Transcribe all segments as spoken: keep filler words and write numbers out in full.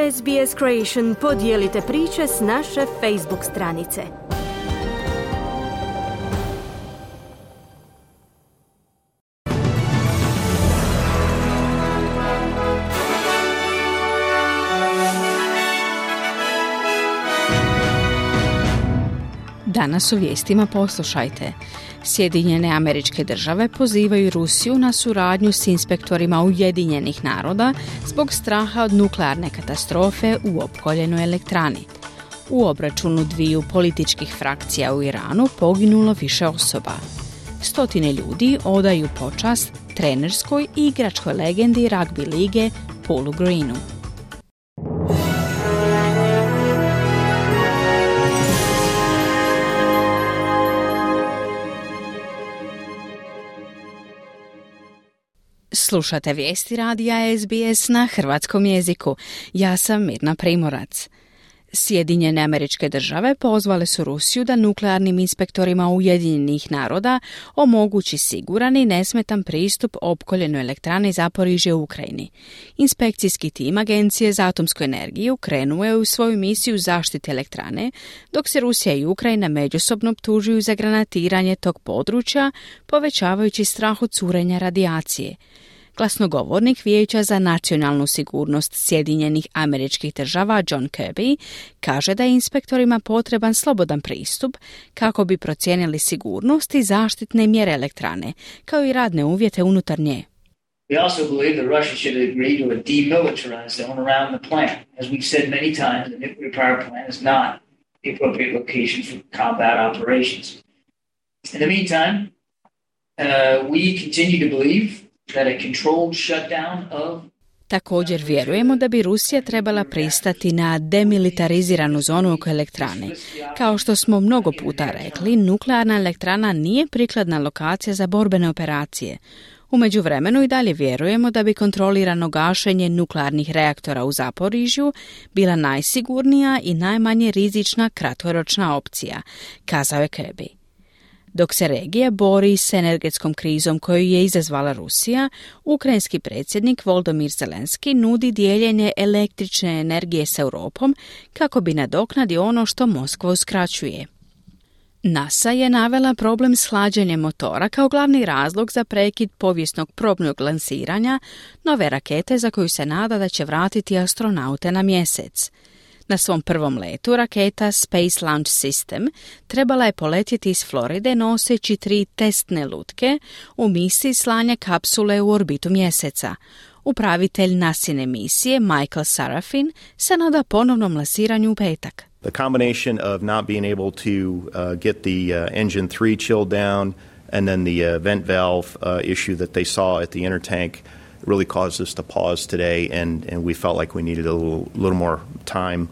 S B S Creation podijelite priče s naše Facebook stranice. Danas u vijestima poslušajte. Sjedinjene Američke Države pozivaju Rusiju na suradnju s inspektorima Ujedinjenih naroda zbog straha od nuklearne katastrofe u opkoljenoj elektrani. U obračunu dviju političkih frakcija u Iranu poginulo više osoba. Stotine ljudi odaju počast trenerskoj i igračkoj legendi ragbi lige Paulu Greenu. Slušate vijesti radija S B S na hrvatskom jeziku. Ja sam Mirna Primorac. Sjedinjene Američke Države pozvale su Rusiju da nuklearnim inspektorima Ujedinjenih naroda omogući siguran i nesmetan pristup opkoljenoj elektrani Zaporižje u Ukrajini. Inspekcijski tim Agencije za atomsku energiju krenuo je u svoju misiju zaštite elektrane, dok se Rusija i Ukrajina međusobno optužuju za granatiranje tog područja, povećavajući strah od curenja radijacije. Glasnogovornik Vijeća za nacionalnu sigurnost Sjedinjenih Američkih Država John Kirby kaže da je inspektorima potreban slobodan pristup kako bi procijenili sigurnost i zaštitne mjere elektrane, kao i radne uvjete unutar nje. We also believe that Russia should agree to a demilitarized zone around the plant. As we've said many times, the nuclear power plant is not the appropriate location for combat operations. In the meantime, uh, we continue to believe that a controlled shutdown of Također vjerujemo da bi Rusija trebala pristati na demilitariziranu zonu oko elektrane. Kao što smo mnogo puta rekli, nuklearna elektrana nije prikladna lokacija za borbene operacije. U međuvremenu i dalje vjerujemo da bi kontrolirano gašenje nuklearnih reaktora u Zaporižju bila najsigurnija i najmanje rizična kratkoročna opcija, kazao je Kirby. Dok se regija bori s energetskom krizom koju je izazvala Rusija, ukrajinski predsjednik Volodymyr Zelenski nudi dijeljenje električne energije s Europom kako bi nadoknadio ono što Moskva uskraćuje. NASA je navela problem s hlađenjem motora kao glavni razlog za prekid povijesnog probnog lansiranja nove rakete za koju se nada da će vratiti astronaute na mjesec. Na svom prvom letu raketa Space Launch System trebala je poletjeti iz Floride noseći tri testne lutke u misiji slanja kapsule u orbitu mjeseca. Upravitelj nasine misije Michael Sarafin se nada ponovnom lansiranju u petak. The combination of not being able to uh, get the uh, engine three chilled down and then the uh, vent valve uh, issue that they saw at the inner tank really caused us to pause today, and, and we felt like we needed a little, little more time.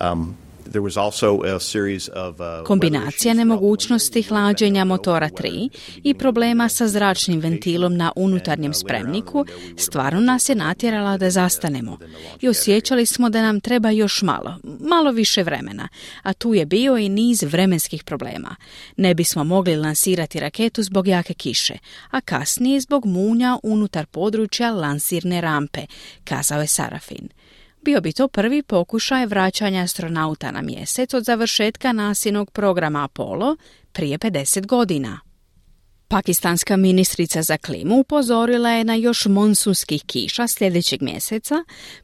Um, there was also a series of, uh, Kombinacija nemogućnosti hlađenja motora tri i problema sa zračnim ventilom na unutarnjem spremniku stvarno nas je natjerala da zastanemo i osjećali smo da nam treba još malo, malo više vremena, a tu je bio i niz vremenskih problema. Ne bismo mogli lansirati raketu zbog jake kiše, a kasnije zbog munja unutar područja lansirne rampe, kazao je Sarafin. Bio bi to prvi pokušaj vraćanja astronauta na mjesec od završetka nasinog programa Apollo prije pedeset godina. Pakistanska ministrica za klimu upozorila je na još monsunskih kiša sljedećeg mjeseca,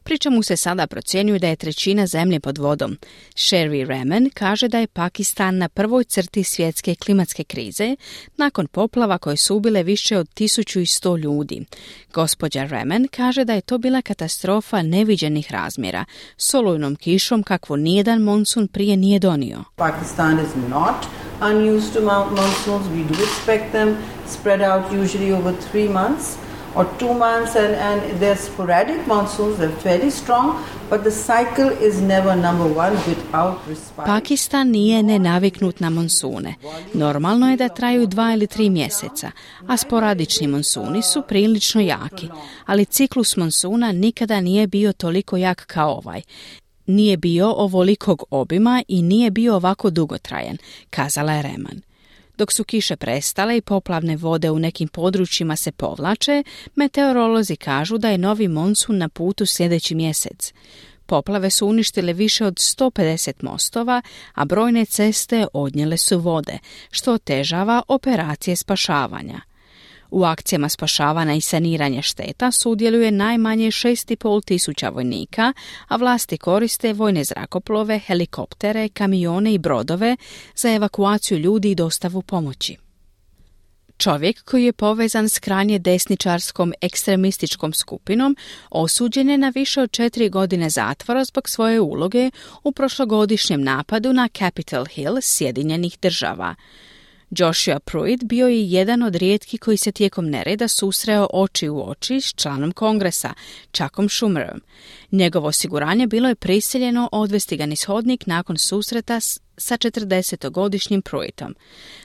pri čemu se sada procjenjuje da je trećina zemlje pod vodom. Sherry Rahman kaže da je Pakistan na prvoj crti svjetske klimatske krize nakon poplava koje su ubile više od tisuću sto ljudi. Gospođa Rahman kaže da je to bila katastrofa neviđenih razmjera, s olujnom kišom kakvu nijedan monsun prije nije donio. Pakistan is not unused to monsoons. We do expect them spread out usually over three months or two months, and, and they're sporadic monsoons, they're very strong, but the cycle is never number one without respite. Pakistan nije nenaviknut na monsune. Normalno je da traju dva ili tri mjeseca, a sporadični monsuni su prilično jaki, ali ciklus monsuna nikada nije bio toliko jak kao ovaj. Nije bio ovolikog obima i nije bio ovako dugotrajan, kazala je Rahman. Dok su kiše prestale i poplavne vode u nekim područjima se povlače, meteorolozi kažu da je novi monsun na putu sljedeći mjesec. Poplave su uništile više od sto pedeset mostova, a brojne ceste odnijele su vode, što otežava operacije spašavanja. U akcijama spašavanja i saniranja šteta sudjeluje najmanje šest i pol tisuća vojnika, a vlasti koriste vojne zrakoplove, helikoptere, kamione i brodove za evakuaciju ljudi i dostavu pomoći. Čovjek koji je povezan s krajnje desničarskom ekstremističkom skupinom osuđen je na više od četiri godine zatvora zbog svoje uloge u prošlogodišnjem napadu na Capitol Hill Sjedinjenih država. Joshua Pruitt bio je jedan od rijetkih koji se tijekom nereda susreo oči u oči s članom kongresa, Chuckom Schumerom. Njegovo osiguranje bilo je prisiljeno odvesti ga niz hodnik nakon susreta s sa četrdesetogodišnjim Pruittom.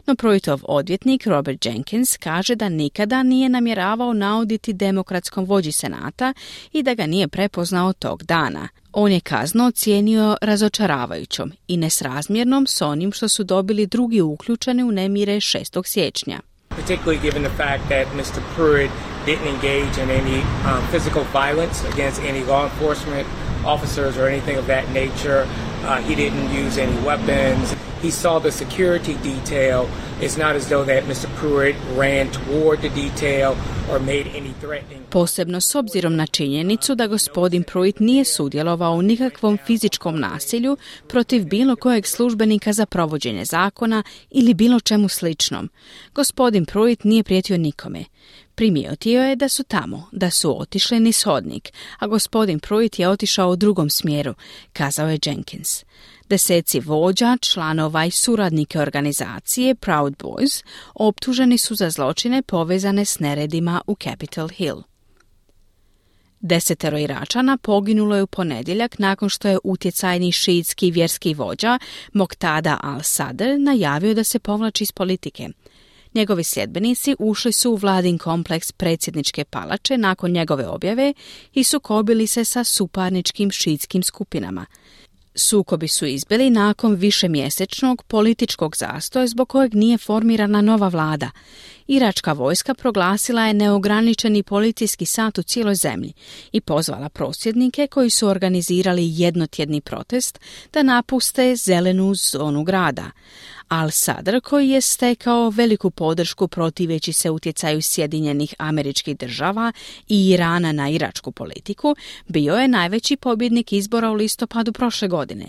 No Pruittov odvjetnik Robert Jenkins kaže da nikada nije namjeravao nauditi demokratskom vođi senata i da ga nije prepoznao tog dana. On je kaznu ocijenio razočaravajućom i nesrazmjernom s onim što su dobili drugi uključeni u nemire šestog siječnja. Particularly given the fact that mister Pruitt didn't engage in any um, physical violence against any law enforcement officers or anything of that nature. Uh, he didn't use any weapons. He saw the security detail. It's not as though that mister Pruitt ran toward the detail or made any threatening. Posebno s obzirom na činjenicu da gospodin Pruitt nije sudjelovao u nikakvom fizičkom nasilju protiv bilo kojeg službenika za provođenje zakona ili bilo čemu sličnom. Gospodin Pruitt nije prijetio nikome. Primijetio je da su tamo, da su otišli niz hodnik, a gospodin Pruitt je otišao u drugom smjeru, kazao je Jenkins. Deseci vođa, članova i suradnike organizacije Proud Boys optuženi su za zločine povezane s neredima u Capitol Hill. Desetero Iračana poginulo je u ponedjeljak nakon što je utjecajni šiitski vjerski vođa Moqtada al-Sadr najavio da se povlači iz politike. Njegovi sljedbenici ušli su u vladin kompleks predsjedničke palače nakon njegove objave i sukobili se sa suparničkim šiitskim skupinama. Sukobi su izbili nakon višemjesečnog političkog zastoja zbog kojeg nije formirana nova vlada. Iračka vojska proglasila je neograničeni policijski sat u cijeloj zemlji i pozvala prosvjednike koji su organizirali jednotjedni protest da napuste zelenu zonu grada. Al-Sadr, koji je stekao veliku podršku protiveći se utjecaju Sjedinjenih Američkih Država i Irana na iračku politiku, bio je najveći pobjednik izbora u listopadu prošle godine.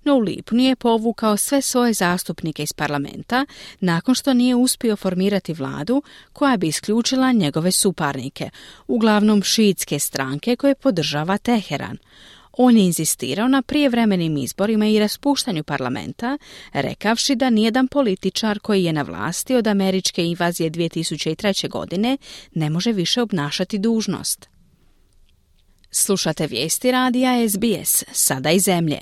No u lipnju je povukao sve svoje zastupnike iz parlamenta nakon što nije uspio formirati vladu koja bi isključila njegove suparnike, uglavnom šiitske stranke koje podržava Teheran. On je inzistirao na prijevremenim izborima i raspuštanju parlamenta, rekavši da nijedan političar koji je na vlasti od američke invazije dvije tisuće treće. godine ne može više obnašati dužnost. Slušate vijesti radija S B S, sada i zemlje.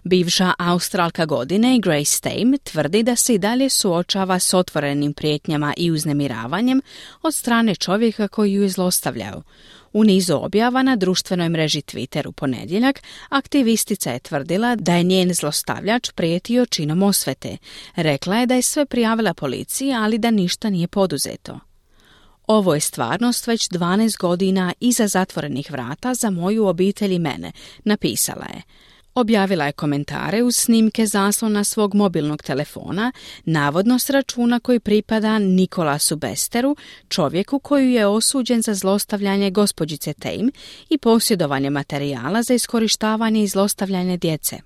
Bivša Australka godine Grace Tame tvrdi da se i dalje suočava s otvorenim prijetnjama i uznemiravanjem od strane čovjeka koji ju je zlostavljao. U nizu objava na društvenoj mreži Twitter u ponedjeljak aktivistica je tvrdila da je njen zlostavljač prijetio činom osvete. Rekla je da je sve prijavila policiji, ali da ništa nije poduzeto. Ovo je stvarnost već dvanaest godina iza zatvorenih vrata za moju obitelj i mene, napisala je. Objavila je komentare uz snimke zaslona svog mobilnog telefona, navodno s računa koji pripada Nikolasu Besteru, čovjeku koji je osuđen za zlostavljanje gospođice Tame i posjedovanje materijala za iskorištavanje i zlostavljanje djece.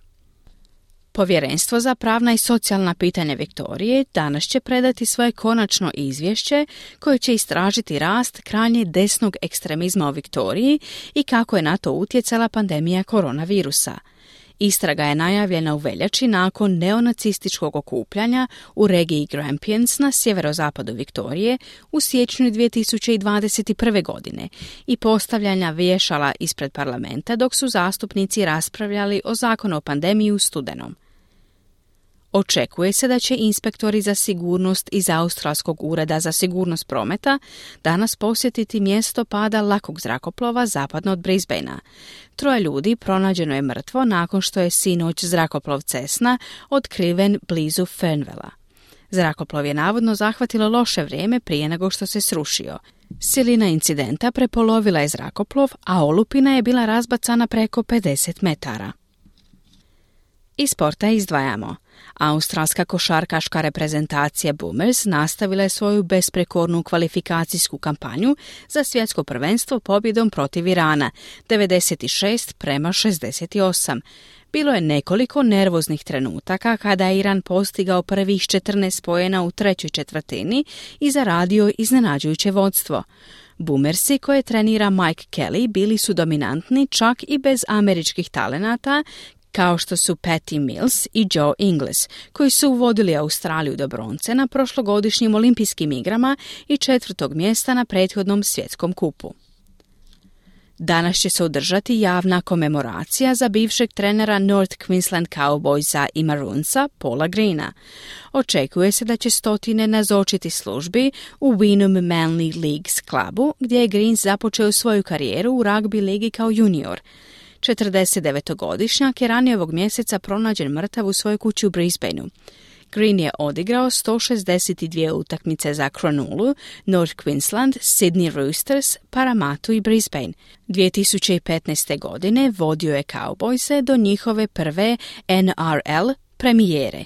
Povjerenstvo za pravna i socijalna pitanja Viktorije danas će predati svoje konačno izvješće koje će istražiti rast krajnje desnog ekstremizma u Viktoriji i kako je na to utjecala pandemija koronavirusa. Istraga je najavljena u veljači nakon neonacističkog okupljanja u regiji Grampians na sjeverozapadu Viktorije u siječnju dvije tisuće dvadeset prve. godine i postavljanja vješala ispred parlamenta dok su zastupnici raspravljali o zakonu o pandemiji u studenom. Očekuje se da će inspektori za sigurnost iz Australskog ureda za sigurnost prometa danas posjetiti mjesto pada lakog zrakoplova zapadno od Brisbanea. Troje ljudi pronađeno je mrtvo nakon što je sinoć zrakoplov Cessna otkriven blizu Fernwella. Zrakoplov je navodno zahvatilo loše vrijeme prije nego što se srušio. Silina incidenta prepolovila je zrakoplov, a olupina je bila razbacana preko pedeset metara. Iz sporta izdvajamo. Australska košarkaška reprezentacija Boomers nastavila je svoju besprekornu kvalifikacijsku kampanju za svjetsko prvenstvo pobjedom protiv Irana, devedeset šest prema šezdeset osam. Bilo je nekoliko nervoznih trenutaka kada je Iran postigao prvih četrnaest poena u trećoj četvrtini i zaradio iznenađujuće vodstvo. Boomersi koje trenira Mike Kelly bili su dominantni čak i bez američkih talenata, kao što su Patty Mills i Joe Ingles, koji su uvodili Australiju do bronce na prošlogodišnjim olimpijskim igrama i četvrtog mjesta na prethodnom svjetskom kupu. Danas će se održati javna komemoracija za bivšeg trenera North Queensland Cowboysa i Maroonsa Paula Greena. Očekuje se da će stotine nazočiti službi u Wynnum Manly Leagues klubu, gdje je Green započeo svoju karijeru u ragbi ligi kao junior. četrdesetdevetogodišnjak je ranije ovog mjeseca pronađen mrtav u svojoj kući u Brisbaneu. Green je odigrao sto šezdeset dvije utakmice za Cronulla, North Queensland, Sydney Roosters, Parramatta i Brisbane. dvije tisuće petnaeste. godine vodio je Cowboyse do njihove prve N R L premijere.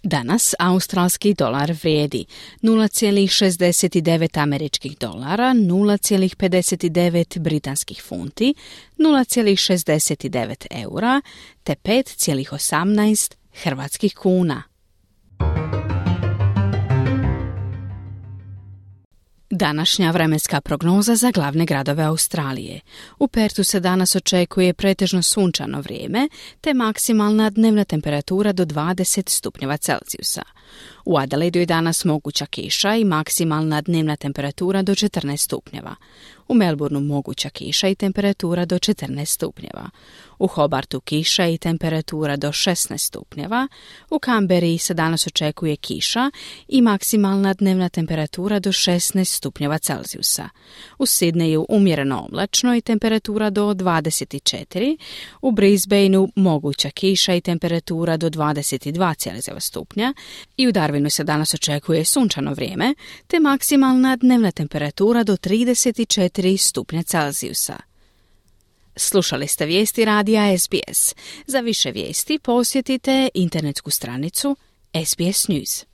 Danas australski dolar vrijedi nula zarez šezdeset devet američkih dolara, nula zarez pedeset devet britanskih funti, nula zarez šezdeset devet eura te pet zarez osamnaest hrvatskih kuna. Današnja vremenska prognoza za glavne gradove Australije. U Pertu se danas očekuje pretežno sunčano vrijeme, te maksimalna dnevna temperatura do dvadeset stupnjeva Celzijusa. U Adelaidu je danas moguća kiša i maksimalna dnevna temperatura do četrnaest stupnjeva. U Melbourneu moguća kiša i temperatura do četrnaest stupnjeva. U Hobartu kiša i temperatura do šesnaest stupnjeva. U Canberri se danas očekuje kiša i maksimalna dnevna temperatura do šesnaest stupnjeva Celzijusa. U Sydneyu umjereno oblačno i temperatura do dvadeset četiri. U Brisbaneu moguća kiša i temperatura do dvadeset dva stupnja. I u Darwinu se danas očekuje sunčano vrijeme, te maksimalna dnevna temperatura do trideset četiri stupnja Celzijusa. Slušali ste vijesti radija S B S. Za više vijesti posjetite internetsku stranicu S B S News.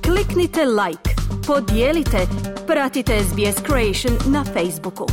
Kliknite like, podijelite, pratite S B S Creation na Facebooku.